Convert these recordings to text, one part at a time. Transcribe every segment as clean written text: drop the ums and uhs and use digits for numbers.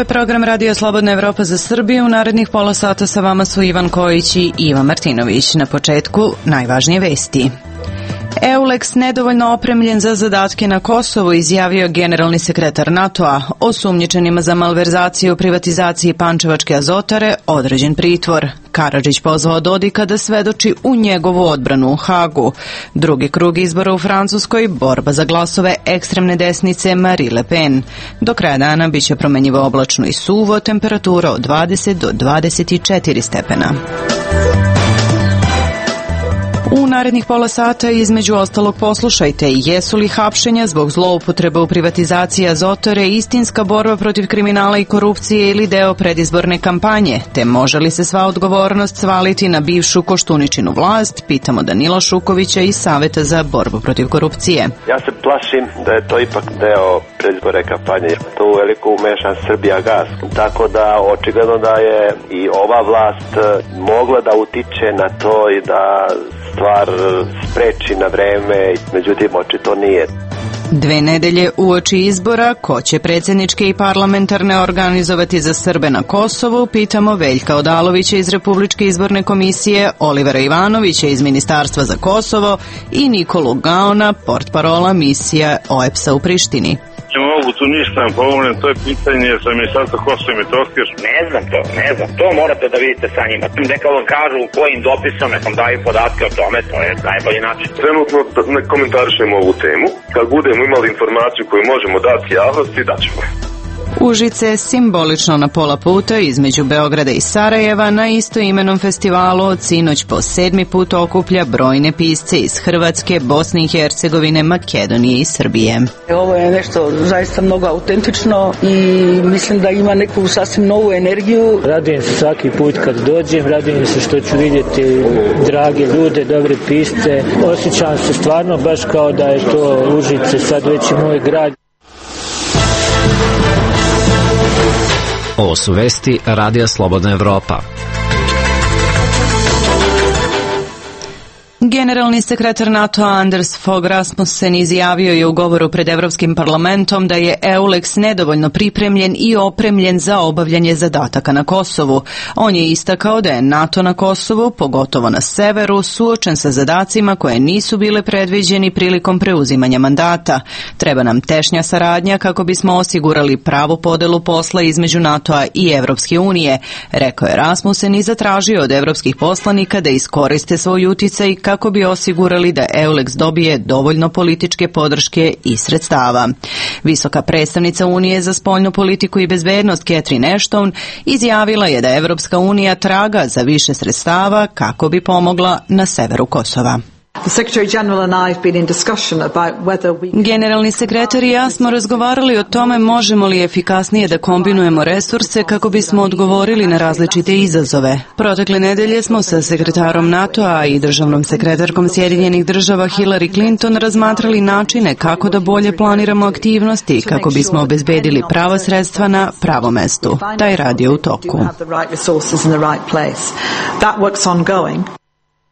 je program Radio Slobodna Evropa za Srbiju. U narednih pola sata sa vama su Ivan Kojić i Ivan Martinović. Na početku najvažnije vesti. EULEX nedovoljno opremljen za zadatke na Kosovu, izjavio generalni sekretar NATO-a. Osumnjičenima za malverzaciju u privatizaciji Pančevačke azotare određen pritvor. Karadžić pozvao Dodika da svedoči u njegovu odbranu u Hagu. Drugi krug izbora u Francuskoj, borba za glasove ekstremne desnice Marine Le Pen. Do kraja dana biće promenjivo oblačno i suvo, temperatura od 20 do 24 stepena. U narednih pola sata između ostalog poslušajte jesu li hapšenja zbog zloupotreba u privatizaciji azotare istinska borba protiv kriminala i korupcije ili deo predizborne kampanje, te može li se sva odgovornost svaliti na bivšu Koštuničinu vlast, pitamo Danila Šukovića iz Saveta za borbu protiv korupcije. Ja se plašim da je to ipak deo predizborne kampanje. To uveliko umešan Srbijagas, tako da očigledno da je i ova vlast mogla da utiče na to i da stvar spreči na vreme, međutim očito nije. 2 nedelje uoči izbora, ko će predsjedničke i parlamentarne organizovati za Srbe na Kosovu, pitamo Veljka Odalovića iz Republičke izborne komisije, Olivera Ivanovića iz Ministarstva za Kosovo i Nikolu Gaona, portparola misija OEBS-a u Prištini. Ne mogu tu ništa nam pomognem, to je pitanje sa Ministarstva Kosova i Metohije. Ne znam, to morate da vidite sa njima. Neka vam kažu kojim dopisom, neka vam daju podatke o tome, to je najbolji način. Trenutno ne komentarišemo ovu temu, kad budemo imali informaciju koju možemo dati javnosti, daćemo. Užice simbolično na pola puta između Beograda i Sarajeva na istoimenom festivalu od sinoć po 7. put okuplja brojne pisce iz Hrvatske, Bosne i Hercegovine, Makedonije i Srbije. Ovo je nešto zaista mnogo autentično i mislim da ima neku sasvim novu energiju. Radujem se svaki put kad dođem, radujem se što ću vidjeti drage ljude, dobre pisce. Osjećam se stvarno baš kao da je to Užice sad već i moj grad. Ovo su vesti Radija Slobodna Evropa. Generalni sekretar NATO-a Anders Fogh Rasmussen izjavio je u govoru pred Evropskim parlamentom da je EULEX nedovoljno pripremljen i opremljen za obavljanje zadataka na Kosovu. On je istakao da je NATO na Kosovu, pogotovo na severu, suočen sa zadacima koje nisu bile predviđeni prilikom preuzimanja mandata. Treba nam tešnja saradnja kako bismo osigurali pravu podelu posla između NATO-a i Evropske unije, rekao je Rasmussen i zatražio od evropskih poslanika da iskoriste svoj uticaj kako bi osigurali da EULEX dobije dovoljno političke podrške i sredstava. Visoka predstavnica Unije za spoljnu politiku i bezbednost Catherine Ashton izjavila je da Evropska unija traga za više sredstava kako bi pomogla na severu Kosova. Generalni sekretar i ja smo razgovarali o tome možemo li efikasnije da kombinujemo resurse kako bismo odgovorili na različite izazove. Protekle nedelje smo sa sekretarom NATO-a i državnom sekretarkom Sjedinjenih država Hillary Clinton razmatrali načine kako da bolje planiramo aktivnosti kako bismo obezbedili prava sredstva na pravom mestu. Taj rad je u toku.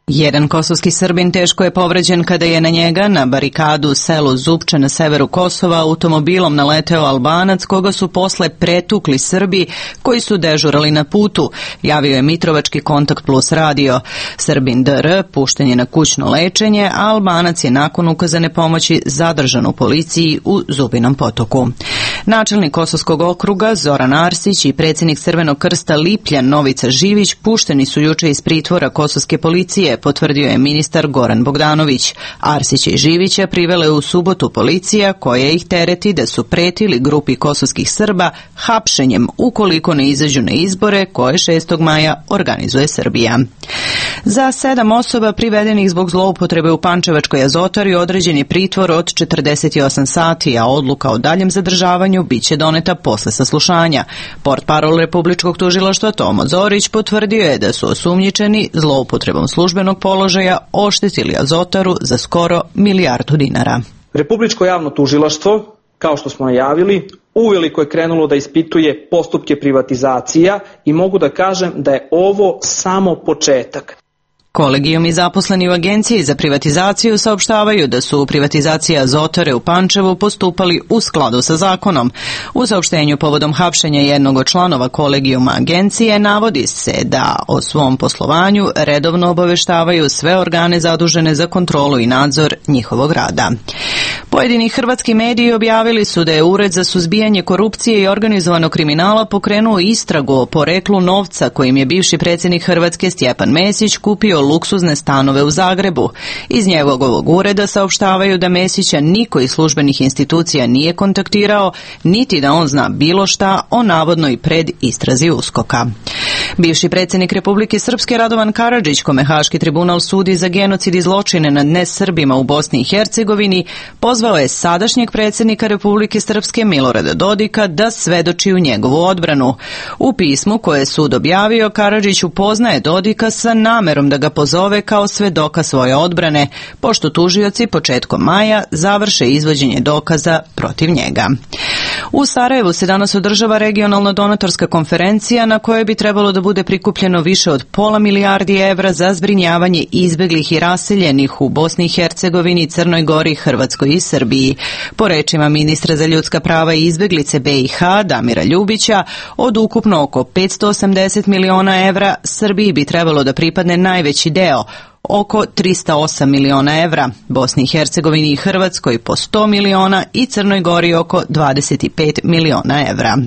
Jedan kosovski Srbin teško je povređen kada je na njega, na barikadu u selu Zupče na severu Kosova, automobilom naleteo Albanac koga su posle pretukli Srbi koji su dežurali na putu, javio je Mitrovački Kontakt Plus radio. Srbin DR pušten je na kućno lečenje, a Albanac je nakon ukazane pomoći zadržan u policiji u Zubinom Potoku. Načelnik Kosovskog okruga Zoran Arsić i predsjednik Crvenog krsta Lipljan Novica Živić pušteni su juče iz pritvora kosovske policije, potvrdio je ministar Goran Bogdanović. Arsića i Živića privela je u subotu policija koja ih tereti da su pretili grupi kosovskih Srba hapšenjem ukoliko ne izađu na izbore koje 6. maja organizuje Srbija. Za 7 osoba privedenih zbog zloupotrebe u Pančevačkoj azotari određen je pritvor od 48 sati, a odluka o daljem zadržavanju biće doneta posle saslušanja. Portparol Republičkog tužilaštva Tomo Zorić potvrdio je da su osumnjičeni zloupotrebom službenog položaja oštetili azotaru za skoro milijardu dinara. Republičko javno tužilaštvo, kao što smo najavili, uveliko je krenulo da ispituje postupke privatizacija i mogu da kažem da je ovo samo početak. Kolegijum i zaposleni u Agenciji za privatizaciju saopštavaju da su privatizacija Azotare u Pančevu postupali u skladu sa zakonom. U saopštenju povodom hapšenja jednog od članova kolegijuma agencije navodi se da o svom poslovanju redovno obaveštavaju sve organe zadužene za kontrolu i nadzor njihovog rada. Pojedini hrvatski mediji objavili su da je Ured za suzbijanje korupcije i organizovanog kriminala pokrenuo istragu o poreklu novca kojim je bivši predsjednik Hrvatske Stjepan Mesić kupio luksuzne stanove u Zagrebu. Iz njegovog ureda saopštavaju da Mesića niko iz službenih institucija nije kontaktirao, niti da on zna bilo šta o navodnoj predistrazi USKOK-a. Bivši predsjednik Republike Srpske Radovan Karadžić, kome Haški tribunal sudi za genocid i zločine nad nesrbima u Bosni i Hercegovini, pozvao je sadašnjeg predsjednika Republike Srpske Milorada Dodika da svedoči u njegovu odbranu. U pismu koje je sud objavio, Karadžić upoznaje Dodika sa namerom da ga pozove kao svedoka svoje odbrane, pošto tužioci početkom maja završe izvođenje dokaza protiv njega. U Sarajevu se danas održava regionalna donatorska konferencija na kojoj bi trebalo da bude prikupljeno više od £500 milijardi za zbrinjavanje izbeglih i raseljenih u Bosni i Hercegovini, Crnoj Gori, Hrvatskoj i Srbiji. Po rečima ministra za ljudska prava i izbeglice BiH Damira Ljubića, od ukupno oko €580 miliona Srbiji bi trebalo da pripadne najveći deo, oko €308 miliona, Bosni i Hercegovini i Hrvatskoj po 100 miliona i Crnoj Gori oko €25 miliona.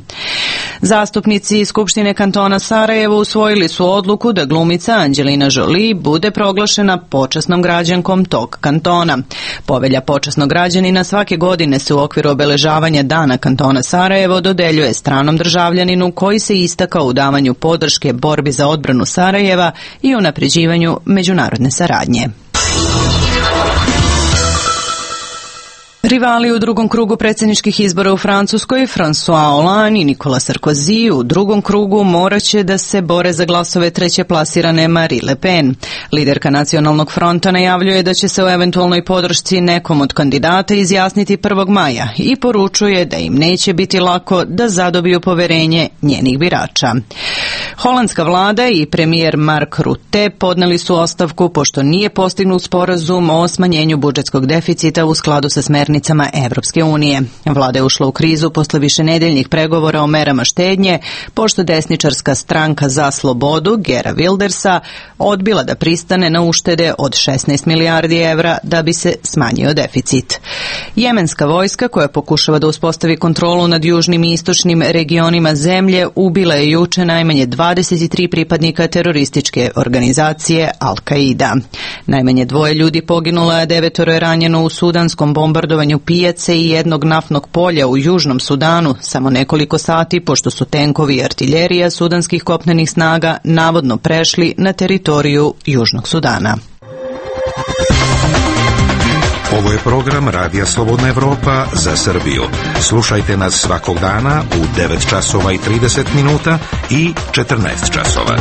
Zastupnici Skupštine kantona Sarajevo usvojili su odluku da glumica Anđelina Jolie bude proglašena počasnom građankom tog kantona. Povelja počasnog građanina svake godine se u okviru obeležavanja Dana kantona Sarajevo dodeljuje stranom državljaninu koji se istakao u davanju podrške borbi za odbranu Sarajeva i unapređivanju međunarodne saradnje. Rivali u drugom krugu predsjedničkih izbora u Francuskoj, François Hollande i Nicolas Sarkozy, u drugom krugu moraće da se bore za glasove treće plasirane Marine Le Pen. Liderka Nacionalnog fronta najavljuje da će se o eventualnoj podršci nekom od kandidata izjasniti 1. maja i poručuje da im neće biti lako da zadobiju poverenje njenih birača. Holandska vlada i premijer Mark Rutte podneli su ostavku pošto nije postignut sporazum o smanjenju budžetskog deficita u skladu sa smernicama Evropske unije. Vlada je ušla u krizu posle višenedeljnih pregovora o merama štednje, pošto desničarska stranka za slobodu Gera Wildersa odbila da pristane na uštede od €16 milijardi da bi se smanjio deficit. Jemenska vojska, koja pokušava da uspostavi kontrolu nad južnim i istočnim regionima zemlje, ubila je juče najmanje 23 pripadnika terorističke organizacije Al-Qaida. Najmanje 2 ljudi poginulo, a 9 je ranjeno u sudanskom bombardovanju pijace i jednog naftnog polja u Južnom Sudanu samo nekoliko sati pošto su tenkovi i artiljerija sudanskih kopnenih snaga navodno prešli na teritoriju Južnog Sudana. Ovo je program Radija Slobodna Evropa za Srbiju. Slušajte nas svakog dana u 9 časova i 30 minuta i 14 časova.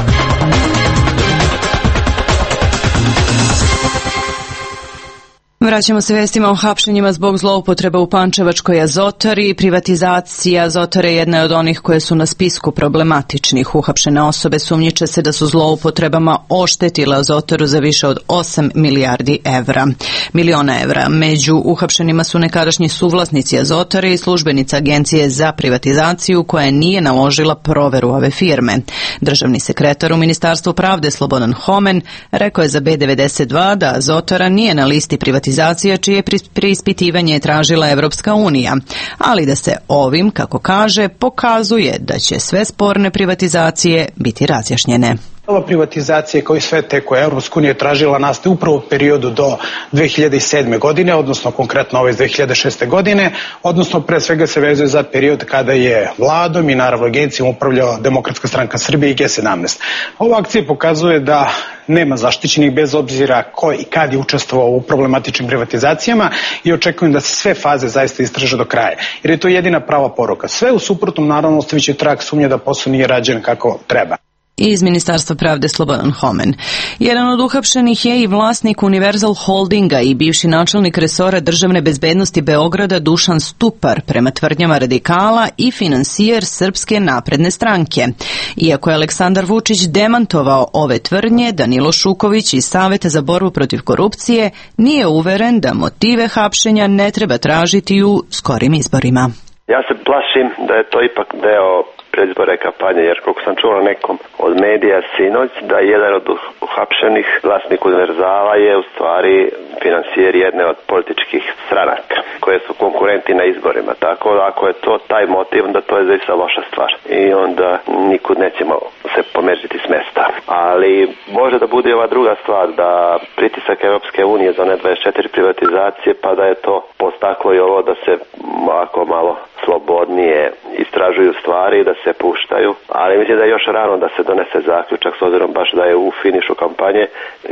Vraćamo se vestima o hapšenjima zbog zloupotreba u pančevačkoj Azotari. Privatizacija Azotare jedna je od onih koje su na spisku problematičnih. Uhapšene osobe sumnjiče se da su zloupotrebama oštetile Azotaru za više od 8 milijardi miliona evra. Među uhapšenima su nekadašnji suvlasnici Azotare i službenica Agencije za privatizaciju koja nije naložila proveru ove firme. Državni sekretar u Ministarstvu pravde Slobodan Homen rekao je za B92 da Azotara nije na listi privatizacije čije preispitivanje je tražila Evropska unija, ali da se ovim, kako kaže, pokazuje da će sve sporne privatizacije biti razjašnjene. Ova privatizacija kao i sve te koje Evropska unija tražila nastaje upravo u periodu do 2007. godine, odnosno konkretno ove iz 2006. godine, odnosno pre svega se vezuje za period kada je vladom i naravno agencijom upravljala Demokratska stranka Srbije i G17. Ova akcija pokazuje da nema zaštićenih bez obzira ko i kad je učestvovao u problematičnim privatizacijama i očekujem da se sve faze zaista istraže do kraja, jer je to jedina prava poruka. Sve u suprotnom naravno ostavit će trag sumnje da posao nije rađen kako treba. Iz Ministarstva pravde Slobodan Homen. Jedan od uhapšenih je i vlasnik Univerzal Holdinga i bivši načelnik resora državne bezbednosti Beograda Dušan Stupar, prema tvrdnjama radikala i finansijer Srpske napredne stranke. Iako je Aleksandar Vučić demantovao ove tvrdnje, Danilo Šuković iz Saveta za borbu protiv korupcije nije uveren da motive hapšenja ne treba tražiti u skorim izborima. Ja se plašim da je to ipak deo predizborne kampanje, jer koliko sam čuo nekom od medija sinoć, da jedan od uhapšenih vlasnik Univerzala je u stvari finansijer jedne od političkih stranaka koje su konkurenti na izborima. Tako da ako je to taj motiv, onda to je zaista loša stvar i onda nikud nećemo se pomeriti s mesta. Ali može da bude ova druga stvar, da pritisak Europske unije za one 24 privatizacije, pa da je to postaklo i ovo da se malo slobodnije istražuju stvari i da se puštaju, ali mislim da je još rano da se donese zaključak s obzirom baš da je u finišu kampanje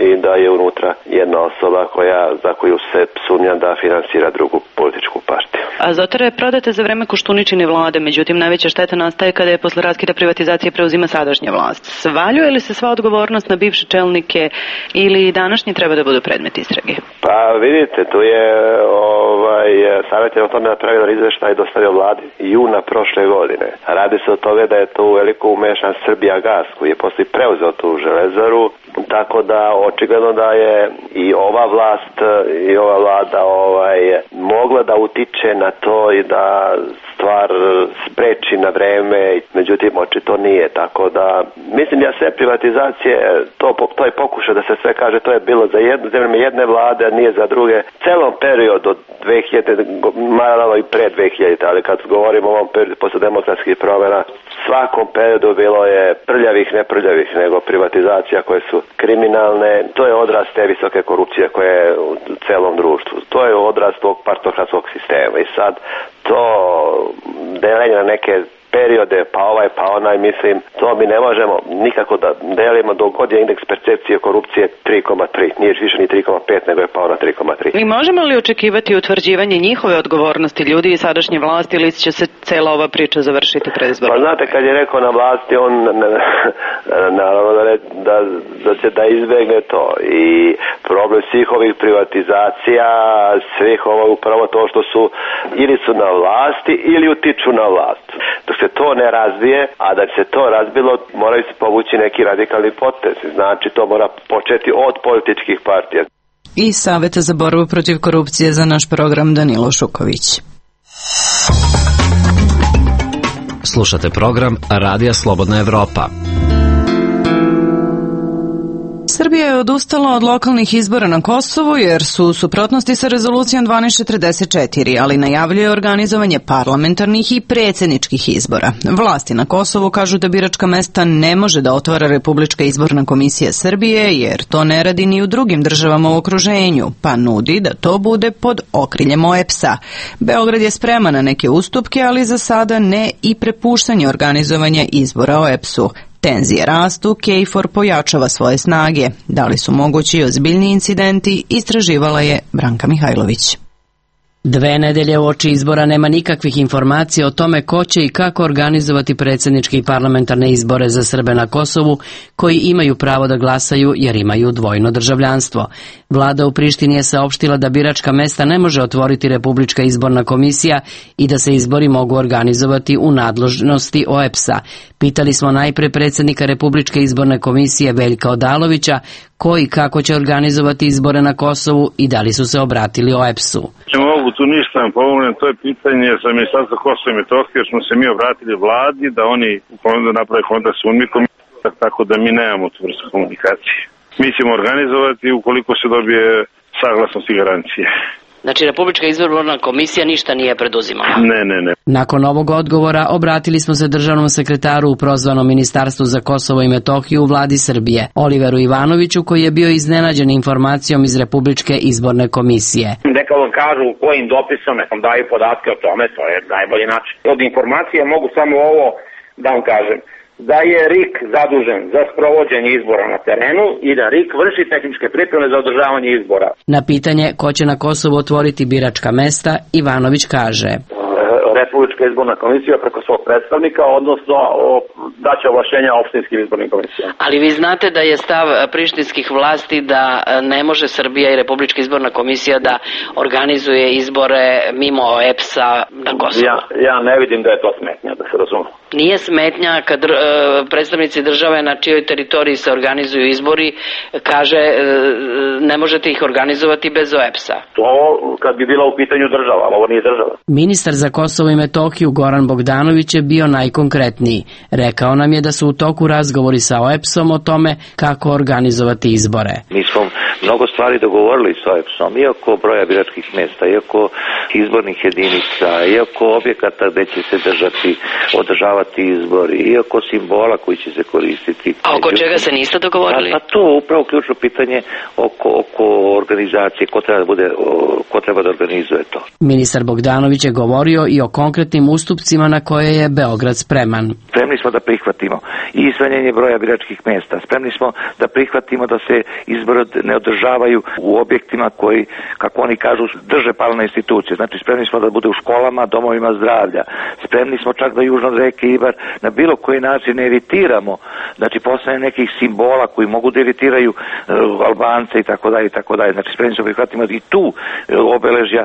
i da je unutra jedna osoba za koju se sumnja da finansira drugu političku partiju. Azotara je prodata za vreme Koštuničine vlade, međutim najveća šteta nastaje kada je posle raskida privatizacije preuzima sadašnja vlast. Svaljuje li se sva odgovornost na bivše čelnike ili današnji treba da budu predmet istrage? Pa vidite, tu je Savet je o tome napravio izveštaj i dostavio vladi juna prošle godine. Radi se o toga da je to uveliko umešan Srbijagas koji je posle preuzeo tu železaru, tako da očigledno da je i ova vlast i ova vlada mogla da utiče na to i da stvar spreči na vreme, međutim očito nije, tako da mislim da sve privatizacije, to je pokušaj da se sve kaže, to je bilo za jedne vlade, a nije za druge. Celom periodu od 2000, malo i pre 2000, ali kad govorimo o ovom periodu posle demokratskih promjena, svakom periodu bilo je prljavih, ne prljavih, nego privatizacija koje su kriminalne. To je odraz te visoke korupcije koje je u celom društvu. To je odraz tog partokratskog sistema i sad to deljenje na neke periode, pa ovaj, pa onaj, mislim, to mi ne možemo nikako da delimo dok god je indeks percepcije korupcije 3,3. Nije više ni 3,5, nego je pao na 3,3. I možemo li očekivati utvrđivanje njihove odgovornosti ljudi i sadašnje vlasti ili će se cela ova priča završiti pred izborom? Pa znate, kad je rekao na vlasti, on naravno da će da izbegne to. I problem svih ovih privatizacija, svih ovo upravo to što su ili su na vlasti ili utiču na vlast. Dok se to ne razvije, a da se to razbilo, moraju se povući neki radikalni potez. Znači, to mora početi od političkih partija. I Saveta za borbu protiv korupcije za naš program Danilo Šuković. Slušate program Radija Slobodna Evropa. Srbija je odustala od lokalnih izbora na Kosovu jer su u suprotnosti sa rezolucijom 1244, ali najavljuje organizovanje parlamentarnih i predsjedničkih izbora. Vlasti na Kosovu kažu da biračka mesta ne može da otvara Republička izborna komisija Srbije jer to ne radi ni u drugim državama u okruženju, pa nudi da to bude pod okriljem OEBS-a. Beograd je spreman na neke ustupke, ali za sada ne i prepuštanje organizovanja izbora OEBS-u. Tenzije rastu, KFOR pojačava svoje snage. Da li su mogući ozbiljni incidenti, istraživala je Branka Mihajlović. 2 nedelje uoči izbora nema nikakvih informacija o tome ko će i kako organizovati predsjedničke i parlamentarne izbore za Srbe na Kosovu, koji imaju pravo da glasaju jer imaju dvojno državljanstvo. Vlada u Prištini je saopštila da biračka mesta ne može otvoriti Republička izborna komisija i da se izbori mogu organizovati u nadležnosti OEBS-a. Pitali smo najpre predsjednika Republičke izborne komisije Veljka Odalovića ko i kako će organizovati izbore na Kosovu i da li su se obratili OEBS-u. Mogu tu ništa vam pomognem, to je pitanje za Ministarstvo Kosova i Metohije, jer smo se mi obratili vladi da oni naprave kontakt s UNMIK-om, tako da mi nemamo tu vrstu komunikacije. Mi ćemo organizovati ukoliko se dobije saglasnost i garancije. Znači, Republička izborna komisija ništa nije preduzimala? Ne. Nakon ovog odgovora obratili smo se državnom sekretaru u prozvanom Ministarstvu za Kosovo i Metohiju u vladi Srbije, Oliveru Ivanoviću, koji je bio iznenađen informacijom iz Republičke izborne komisije. Neka vam kažu kojim dopisom, neka vam daju podatke o tome, to je najbolji način. Od informacije mogu samo ovo da vam kažem. Da je RIK zadužen za sprovođenje izbora na terenu i da RIK vrši tehničke pripreme za održavanje izbora. Na pitanje ko će na Kosovu otvoriti biračka mesta, Ivanović kaže: Republička izborna komisija preko svog predstavnika, odnosno daće ovlašćenja opštinskim izbornim komisijama. Ali vi znate da je stav prištinskih vlasti da ne može Srbija i Republička izborna komisija da organizuje izbore mimo EPS-a na Kosovu. Ja ne vidim da je to smetnja, da se razume. Nije smetnja kad predstavnici države na čijoj teritoriji se organizuju izbori kaže ne možete ih organizovati bez OEPS-a. To kad bi bila u pitanju država, ali ovo nije država. Ministar za Kosovo i Metohiju Goran Bogdanović je bio najkonkretniji. Rekao nam je da su u toku razgovori sa OEPS-om o tome kako organizovati izbore. Mi smo mnogo stvari dogovorili s OEPS-om, iako broja biračkih mesta, iako izbornih jedinica, iako objekata gde će se održavati izbori, iako simbola koji će se koristiti. A oko čega se niste dogovorili? Pa to je upravo ključno pitanje oko organizacije, ko treba da organizuje to. Ministar Bogdanović je govorio i o konkretnim ustupcima na koje je Beograd spreman. Spremni smo da prihvatimo i smanjenje broja biračkih mesta. Spremni smo da prihvatimo da se izbori ne održavaju u objektima koji, kako oni kažu, drže paralelne institucije. Znači, spremni smo da bude u školama, domovima zdravlja. Spremni smo čak da južno od reke Ibar na bilo koji način ne evitiramo, znači postane nekih simbola koji mogu da evitiraju Albance i tako dalje. Znači, spremni smo prihvatimo i tu obeležja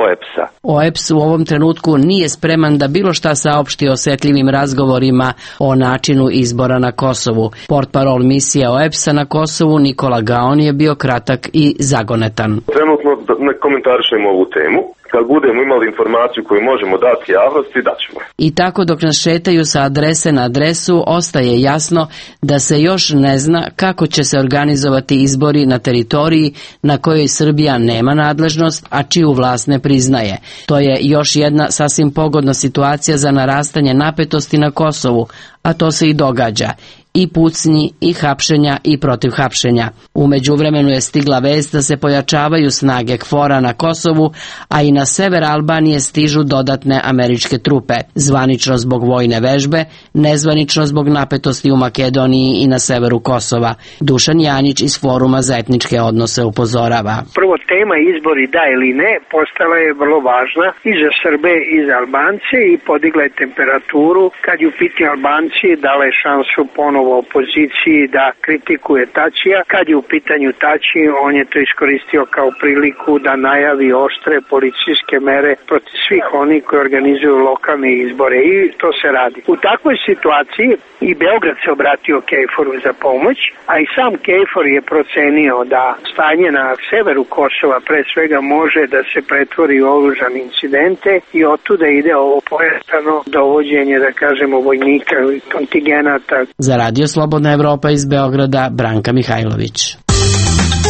OEPS-a. OEPS u ovom trenutku nije spreman da bilo šta saopšti o osetljivim razgovorima o načinu izbora na Kosovu. Portparol misije OEPS-a na Kosovu Nikola Gaon je bio kratak i zagonetan. Trenutno ne komentarišemo ovu temu. Kad budemo imali informaciju koju možemo dati javnosti, daćemo. I tako dok nas šetaju sa adrese na adresu, ostaje jasno da se još ne zna kako će se organizovati izbori na teritoriji na kojoj Srbija nema nadležnost, a čiju vlast ne priznaje. To je još jedna sasvim pogodna situacija za narastanje napetosti na Kosovu, a to se i događa. I pucnji, i hapšenja, i protiv hapšenja. U međuvremenu je stigla vest da se pojačavaju snage KFOR-a na Kosovu, a i na sever Albanije stižu dodatne američke trupe, zvanično zbog vojne vežbe, nezvanično zbog napetosti u Makedoniji i na severu Kosova. Dušan Janjić iz Foruma za etničke odnose upozorava. Prvo, tema izbori da ili ne postala je vrlo važna i za Srbe i za Albance i podigla je temperaturu. Kad je u pitanju Albanci, dala je šansu ponovo opoziciji da kritikuje Tačija. Kad je u pitanju Tači, on je to iskoristio kao priliku da najavi oštre policijske mere protiv svih onih koji organizuju lokalne izbore i to se radi. U takvoj situaciji i Beograd se obratio KFOR-u za pomoć, a i sam KFOR je procenio da stanje na severu Kosova pre svega može da se pretvori u oružane incidente i otuda ide ovo pojačano dovođenje, da kažemo, vojnika i kontingenata. Za Radio Slobodna Evropa iz Beograda, Branka Mihajlović.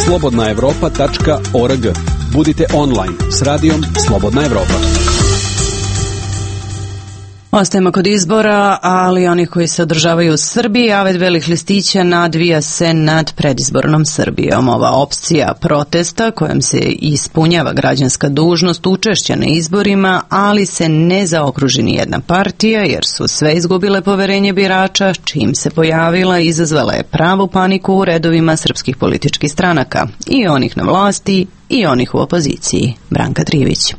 slobodnaevropa.org. Budite online s radijom Slobodna Evropa. Ostajemo kod izbora, ali oni koji se održavaju u Srbiji, avet belih listića nadvija se nad predizbornom Srbijom. Ova opcija protesta kojom se ispunjava građanska dužnost učešća na izborima, ali se ne zaokruži ni jedna partija jer su sve izgubile poverenje birača, čim se pojavila izazvala je pravu paniku u redovima srpskih političkih stranaka, i onih na vlasti i onih u opoziciji. Branka Trivić.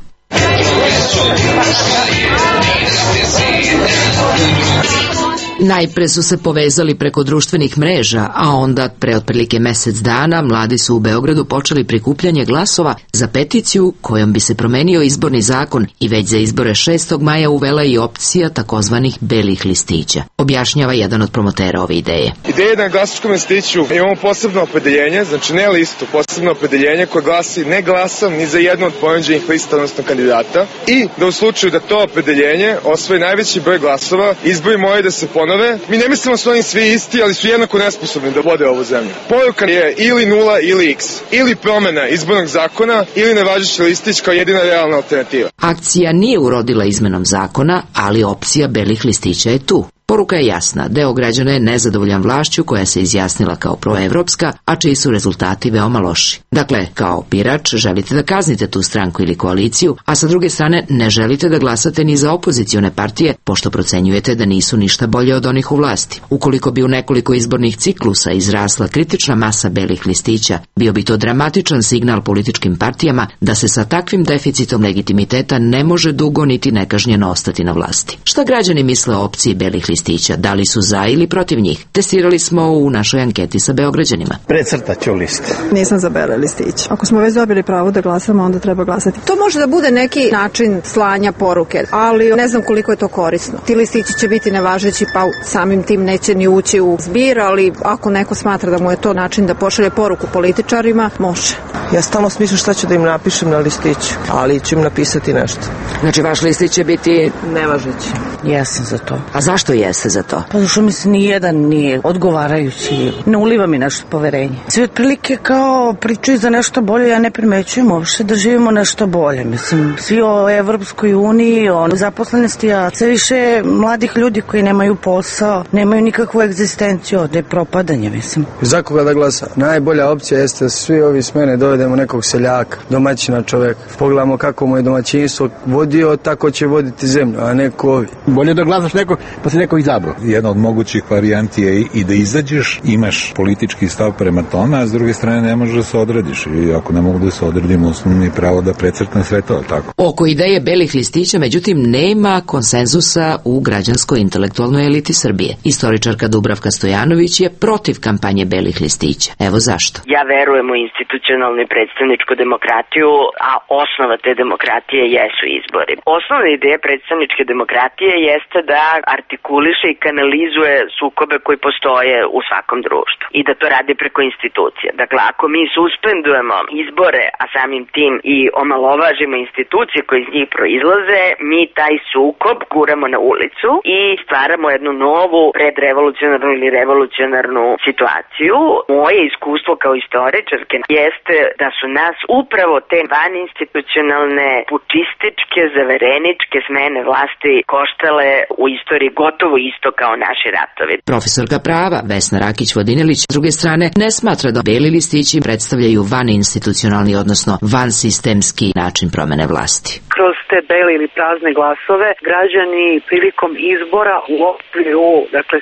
Najpre su se povezali preko društvenih mreža, a onda pre otprilike mesec dana mladi su u Beogradu počeli prikupljanje glasova za peticiju kojom bi se promenio izborni zakon i već za izbore 6. maja uvela i opcija takozvanih belih listića. Objašnjava jedan od promotera ove ideje. Ideja na glasačkom listiću imamo posebno opredeljenje, znači ne listu, posebno opredeljenje koje glasi ne glasam ni za jednu od ponuđenih lista, odnosno kandidata, i da u slučaju da to opredeljenje osvoji najveći broj glasova, izbori moraju da se ponove. Mi ne mislimo da su oni svi isti, ali su jednako nesposobni da vode ovu zemlju. Poruka je ili 0 ili x. Ili promena izbornog zakona ili nevažeći listić kao jedina realna alternativa. Akcija nije urodila izmenom zakona, ali opcija belih listića je tu. Poruka je jasna, deo građana je nezadovoljan vlašću koja se izjasnila kao proevropska, a čiji su rezultati veoma loši. Dakle, kao birač želite da kaznite tu stranku ili koaliciju, a sa druge strane ne želite da glasate ni za opozicione partije, pošto procenjujete da nisu ništa bolje od onih u vlasti. Ukoliko bi u nekoliko izbornih ciklusa izrasla kritična masa belih listića, bio bi to dramatičan signal političkim partijama da se sa takvim deficitom legitimiteta ne može dugo niti nekažnjeno ostati na vlasti. Šta građani misle o opciji belih listića? Da li su za ili protiv njih? Testirali smo u našoj anketi sa Beograđanima. Precrtat ću list. Nisam za bele listiće. Ako smo već dobili pravo da glasamo, onda treba glasati. To može da bude neki način slanja poruke, ali ne znam koliko je to korisno. Ti listići će biti nevažeći, pa samim tim neće ni ući u zbir, ali ako neko smatra da mu je to način da pošalje poruku političarima, može. Ja stalno smišljam šta ću da im napišem na listiću, ali ću im napisati nešto. Znači, vaš listić će biti nevažeći. Jesam za to. A zašto jeste za to? Pa zašto mi se nijedan nije odgovarajući, ne uliva mi nešto poverenje. Svi otprilike kao pričaju za nešto bolje, ja ne primećujem uopšte da živimo nešto bolje. Mislim, svi o Evropskoj uniji, o zaposlenosti, a sve više mladih ljudi koji nemaju posao, nemaju nikakvu egzistenciju, ovde je propadanje, mislim. Za koga da glasa? Najbolja opcija jeste da svi ovi smene dovedemo nekog seljaka, domaćina čoveka. Pogledamo kako mu je domaćinstvo vodio, tako će voditi zemlju, a neko ovi. Bolje da glasaš nekog, pa se neko izabrao. Jedna od mogućih varijanti je i da izađeš, imaš politički stav prema tome, a s druge strane ne možeš da se odrediš. I ako ne mogu da se odredim, osnovni pravo da precrtam sve to, tako. Oko ideje belih listića, međutim, nema konsenzusa u građansko-intelektualnoj eliti Srbije. Istoričarka Dubravka Stojanović je protiv kampanje belih listića. Evo zašto. Ja verujem u institucionalnu i predstavničku demokratiju, a osnova te demokratije jesu izbori. Osnovna ideja predstavničke demokratije jeste da artikuliše i kanalizuje sukobe koji postoje u svakom društvu i da to radi preko institucija. Dakle, ako mi suspendujemo izbore, a samim tim i omalovažimo institucije koje iz njih proizlaze, mi taj sukob guramo na ulicu i stvaramo jednu novu predrevolucionarnu ili revolucionarnu situaciju. Moje iskustvo kao istoričarke jeste da su nas upravo te vaninstitucionalne, pučističke, zavereničke smene vlasti koštale u istoriji gotovo isto kao naši ratovi. Profesorka prava Vesna Rakić-Vodinelić s druge strane ne smatra da beli listići predstavljaju vaninstitucionalni, odnosno vansistemski način promene vlasti. Kroz te bele ili prazne glasove građani prilikom izbora u okviru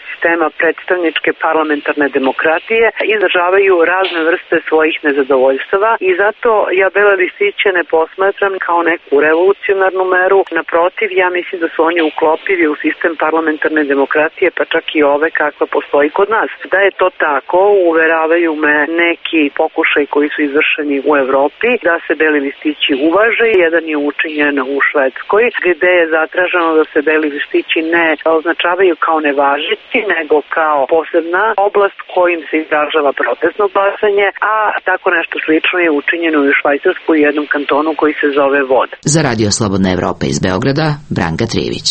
sistema predstavničke parlamentarne demokratije izražavaju razne vrste svojih nezadovoljstava i zato ja bele listiće ne posmatram kao neku revolucionarnu meru. Naprotiv, ja mislim da su oni uklopivi u sistem parlamentarne demokratije, pa čak i ove kakva postoji kod nas. Da je to tako, uveravaju me neki pokušaj koji su izvršeni u Evropi, da se beli listići uvaže. Jedan je učinjen u Švedskoj, gde je zatraženo da se beli listići ne označavaju kao nevažeći, nego kao posebna oblast kojim se izražava protestno glasanje, a tako nešto slično je učinjeno i u Švajcarskoj u jednom kantonu koji se zove Vod. Za Radio Slobodna Evropa iz Beograda, Branka Trijević.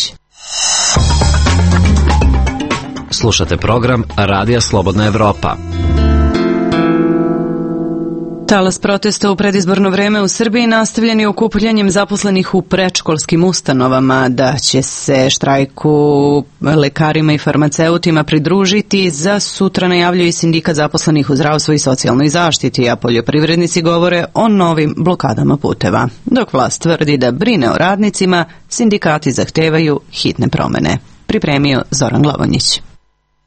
Slušate program Radija Slobodna Evropa. Talas protesta u predizborno vreme u Srbiji nastavljen je okupljanjem zaposlenih u predškolskim ustanovama, da će se štrajku lekarima i farmaceutima pridružiti. Za sutra najavljuje sindikat zaposlenih u zdravstvu i socijalnoj zaštiti, a poljoprivrednici govore o novim blokadama puteva. Dok vlast tvrdi da brine o radnicima, sindikati zahtevaju hitne promene. Pripremio Zoran Glavonjić.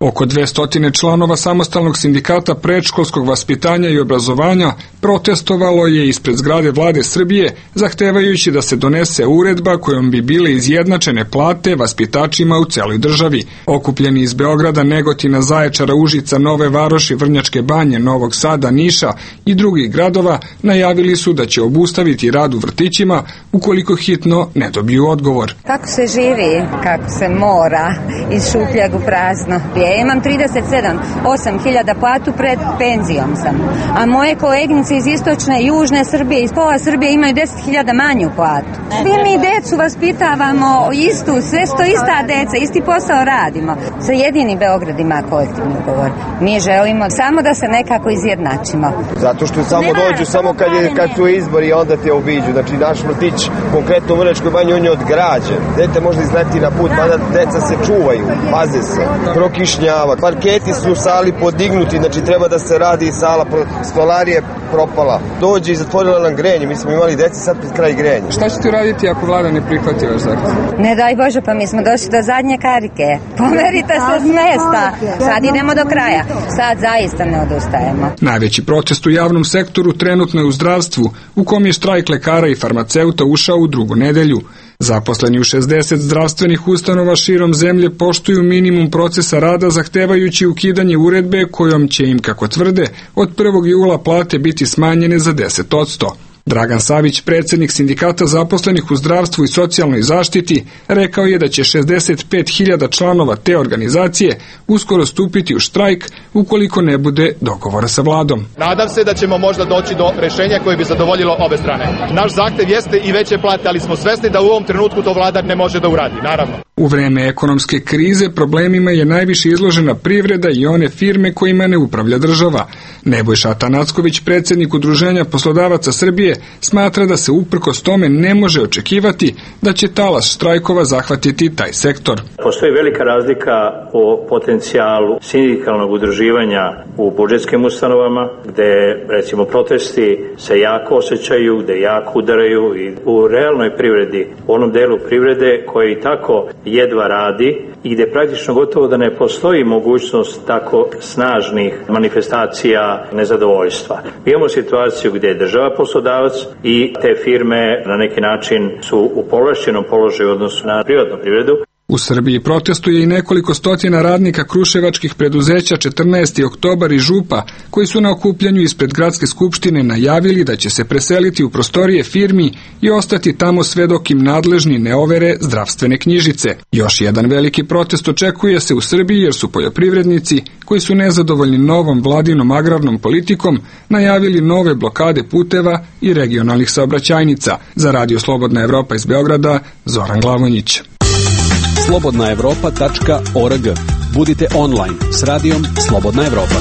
Oko 200 članova samostalnog sindikata predškolskog vaspitanja i obrazovanja protestovalo je ispred zgrade Vlade Srbije, zahtevajući da se donese uredba kojom bi bile izjednačene plate vaspitačima u celoj državi. Okupljeni iz Beograda, Negotina, Zaječara, Užica, Nove Varoši, Vrnjačke Banje, Novog Sada, Niša i drugih gradova najavili su da će obustaviti rad u vrtićima ukoliko hitno ne dobiju odgovor. Kako se živi, kako se mora, iz šupljeg u prazno. Ja imam 37.000 platu, pred penzijom sam. A moje koleginice iz istočne i južne Srbije, iz pola Srbije imaju 10.000 manju platu. Svi mi decu vaspitavamo istu, sve sto ista deca, isti posao radimo. Sa jedini Beograd ima kolektivni ugovor. Mi želimo samo da se nekako izjednačimo. Zato što samo dođu, samo kad su izbori, onda te obiđu. Znači naš vrtić, konkretno u Vrnjačkoj Banji, on je odgrađen. Dete može izleti na put, mada deca se čuvaju, paze se, prokišnjava. Parketi su u sali podignuti, znači treba da se radi sala, stolarija propala. Dođe i zatvorila nam grenje, mi smo imali deci, sad pred kraj grenja. Šta ćete uraditi ako vlada ne prihvati vaš zahtev? Ne daj Bože, pa mi smo došli do zadnje karike. Pomerite se s mesta. Sad idemo do kraja. Sad zaista ne odustajemo. Najveći protest u javnom sektoru trenutno je u zdravstvu, u kom je štrajk lekara i farmaceuta ušao u drugu nedelju. Zaposleni u 60 zdravstvenih ustanova širom zemlje poštuju minimum procesa rada, zahtevajući ukidanje uredbe kojom će im, kako tvrde, od 1. jula plate biti smanjene za 10%. Dragan Savić, predsjednik sindikata zaposlenih u zdravstvu i socijalnoj zaštiti, rekao je da će 65.000 članova te organizacije uskoro stupiti u štrajk ukoliko ne bude dogovora sa vladom. Nadam se da ćemo možda doći do rešenja koje bi zadovoljilo obe strane. Naš zahtev jeste i veće plate, ali smo svesni da u ovom trenutku to vlada ne može da uradi, naravno. U vreme ekonomske krize problemima je najviše izložena privreda i one firme kojima ne upravlja država. Nebojša Atanacković, predsjednik Udruženja poslodavaca Srbije, smatra da se uprkos tome ne može očekivati da će talas štrajkova zahvatiti taj sektor. Postoji velika razlika o potencijalu sindikalnog udruživanja u budžetskim ustanovama, gde recimo protesti se jako osjećaju, gde jako udaraju, i u realnoj privredi, u onom delu privrede koji i tako jedva radi i gde praktično gotovo da ne postoji mogućnost tako snažnih manifestacija nezadovoljstva. Imamo situaciju gdje je država poslodavac i te firme na neki način su u povlašćenom položaju u odnosu na privatnu privredu. U Srbiji protestuje i nekoliko stotina radnika kruševačkih preduzeća 14. oktobar i Župa, koji su na okupljanju ispred gradske skupštine najavili da će se preseliti u prostorije firmi i ostati tamo sve dok im nadležni ne overe zdravstvene knjižice. Još jedan veliki protest očekuje se u Srbiji jer su poljoprivrednici, koji su nezadovoljni novom vladinom agrarnom politikom, najavili nove blokade puteva i regionalnih saobraćajnica. Za Radio Slobodna Evropa iz Beograda, Zoran Glavonjić. slobodnaevropa.org. Budite online s radijom Slobodna Evropa.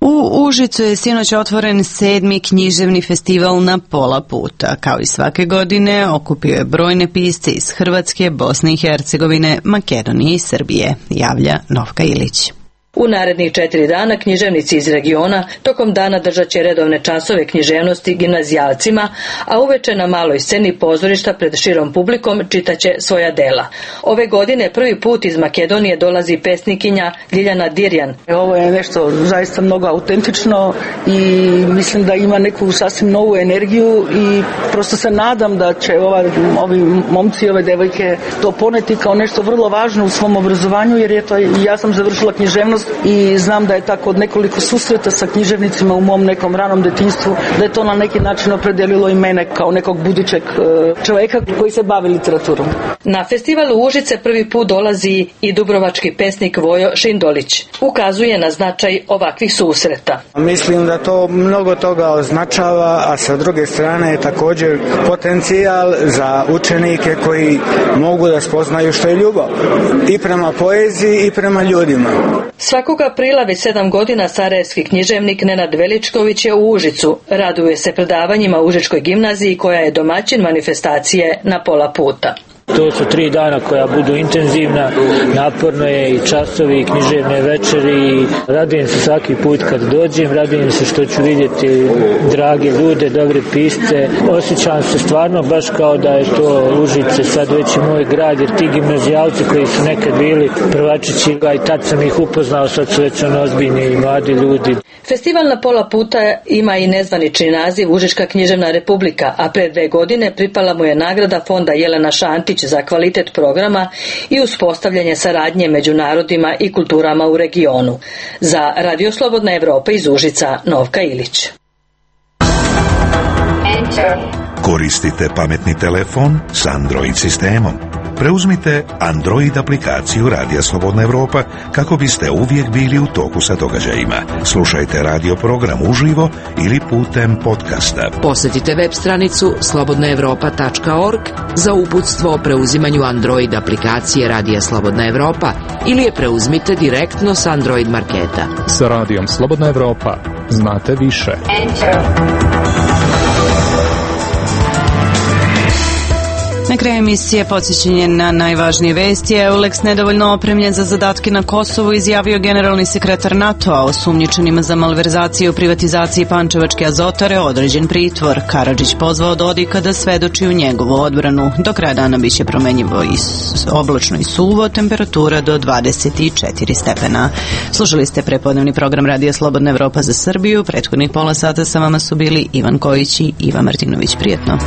U Užicu je sinoć otvoren 7. književni festival Na pola puta. Kao i svake godine okupio je brojne pisce iz Hrvatske, Bosne i Hercegovine, Makedonije i Srbije, javlja Novka Ilić. U narednih 4 dana književnici iz regiona tokom dana držat će redovne časove književnosti gimnazijalcima, a uveče na maloj sceni pozorišta pred širom publikom čitaće svoja dela. Ove godine prvi put iz Makedonije dolazi pesnikinja Ljiljana Dirjan. Ovo je nešto zaista mnogo autentično i mislim da ima neku sasvim novu energiju i prosto se nadam da će ovi momci i ove devojke to poneti kao nešto vrlo važno u svom obrazovanju, jer je to, ja sam završila književnost i znam da je tako od nekoliko susreta sa književnicima u mom nekom ranom detinjstvu, da je to na neki način opredelilo i mene kao nekog budućeg čovjeka koji se bavi literaturom. Na festivalu Užice prvi put dolazi i dubrovački pesnik Vojo Šindolić. Ukazuje na značaj ovakvih susreta. Mislim da to mnogo toga označava, a sa druge strane je također potencijal za učenike koji mogu da spoznaju što je ljubav i prema poeziji i prema ljudima. Svakog aprila već 7 godina sarajevski književnik Nenad Veličković je u Užicu. Raduje se predavanjima u Užičkoj gimnaziji koja je domaćin manifestacije Na pola puta. To su 3 dana koja budu intenzivna, naporno je i časovi i književne večeri. Radujem se svaki put kad dođem, radujem se što ću vidjeti drage ljude, dobre pisce. Osjećam se stvarno baš kao da je to Užice sad već i moj grad, jer ti gimnazijalci koji su nekad bili prvačići, i tad sam ih upoznao, sad su već ozbiljni i mladi ljudi. Festival Na pola puta ima i nezvanični naziv Užička književna republika, a pre 2 godine pripala mu je nagrada fonda Jelena Šantić za kvalitet programa i uspostavljanje saradnje među narodima i kulturama u regionu. Za Radio Slobodna Evropa iz Užica, Novka Ilić. Koristite pametni telefon s Android sistemom. Preuzmite Android aplikaciju Radija Slobodna Evropa kako biste uvijek bili u toku sa događajima. Slušajte radio program uživo ili putem podcasta. Posjetite web stranicu slobodnaevropa.org za uputstvo o preuzimanju Android aplikacije Radija Slobodna Evropa ili je preuzmite direktno s Android marketa. Sa Radijom Slobodna Evropa znate više. Na kraju emisije podsjećanje na najvažnije vesti. EULEX nedovoljno opremljen za zadatke na Kosovu, izjavio generalni sekretar NATO-a. Osumnjičenima za malverzaciju u privatizaciji Pančevačke azotare određen pritvor. Karadžić pozvao Dodika da svedoči u njegovu odbranu. Do kraja dana biće promenjivo i oblačno i suvo, temperatura do 24 stepena. Slušali ste prepodnevni program Radija Slobodna Evropa za Srbiju. Prethodnih pola sata sa vama su bili Ivan Kojić i Iva Martinović. Prijetno.